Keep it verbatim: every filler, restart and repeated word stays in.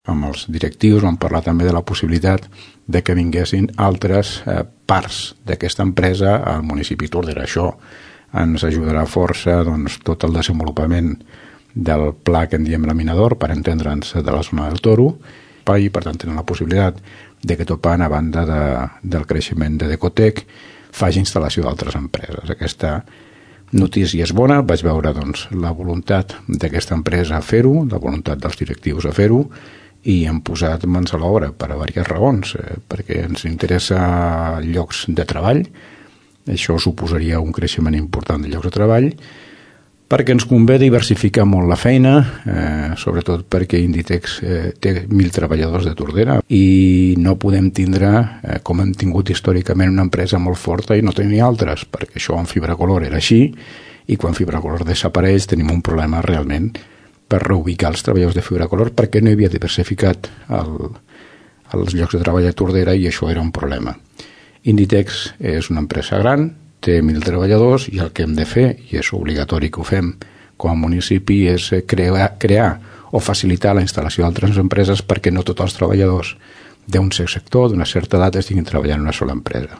amb els directius vam parlar també de la possibilitat de que vinguessin altres eh, parts d'aquesta empresa al municipi Tordera. Això ens ajudarà força doncs, tot el desenvolupament del pla que en diem laminador, per entendre'ns, de la zona del Toro, i per tant tenen la possibilitat de que Topan, a banda de, del creixement de Decotec, faci instal·lació d'altres empreses. Aquesta notícia és bona, vaig veure doncs, la voluntat d'aquesta empresa a fer-ho, la voluntat dels directius a fer-ho, i hem posat mans a l'obra per a diverses raons, eh, perquè ens interessa llocs de treball, això suposaria un creixement important de llocs de treball, perquè ens convé diversificar molt la feina, eh, sobretot perquè Inditex eh, té mil treballadors de Tordera i no podem tindre, eh, com hem tingut històricament, una empresa molt forta i no tenir altres, perquè això en Fibracolor era així, i quan Fibracolor desapareix tenim un problema realment per reubicar els treballadors de Fibracolor perquè no hi havia diversificat el, els llocs de treball a Tordera i això era un problema. Inditex és una empresa gran, té mil treballadors i el que hem de fer, i és obligatori que ho fem com a municipi, és crear, crear o facilitar la instal·lació d'altres empreses perquè no tots els treballadors d'un sector, d'una certa edat, estiguin treballant en una sola empresa.